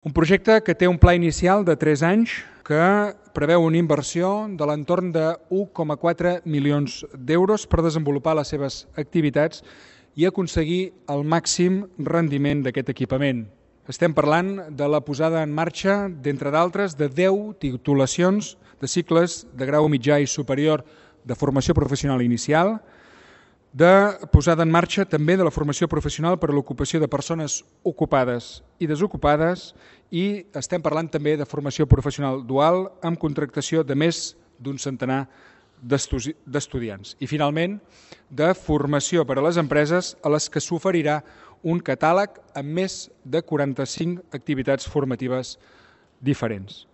Un projecte que té un pla inicial de 3 anys que preveu una inversió de l'entorn de 1,4 milions d'euros per desenvolupar les seves activitats i aconseguir el màxim rendiment d'aquest equipament. Estem parlant de la posada en marxa, d'entre d'altres, de 10 titulacions de cicles de grau mitjà i superior de formació professional inicial, de posada en marxa també de la formació professional per a l'ocupació de persones ocupades i desocupades, i estem parlant també de formació professional dual amb contractació de més d'un centenar d'estudiants. I finalment, de formació per a les empreses a les que s'oferirà un catàleg amb més de 45 activitats formatives diferents.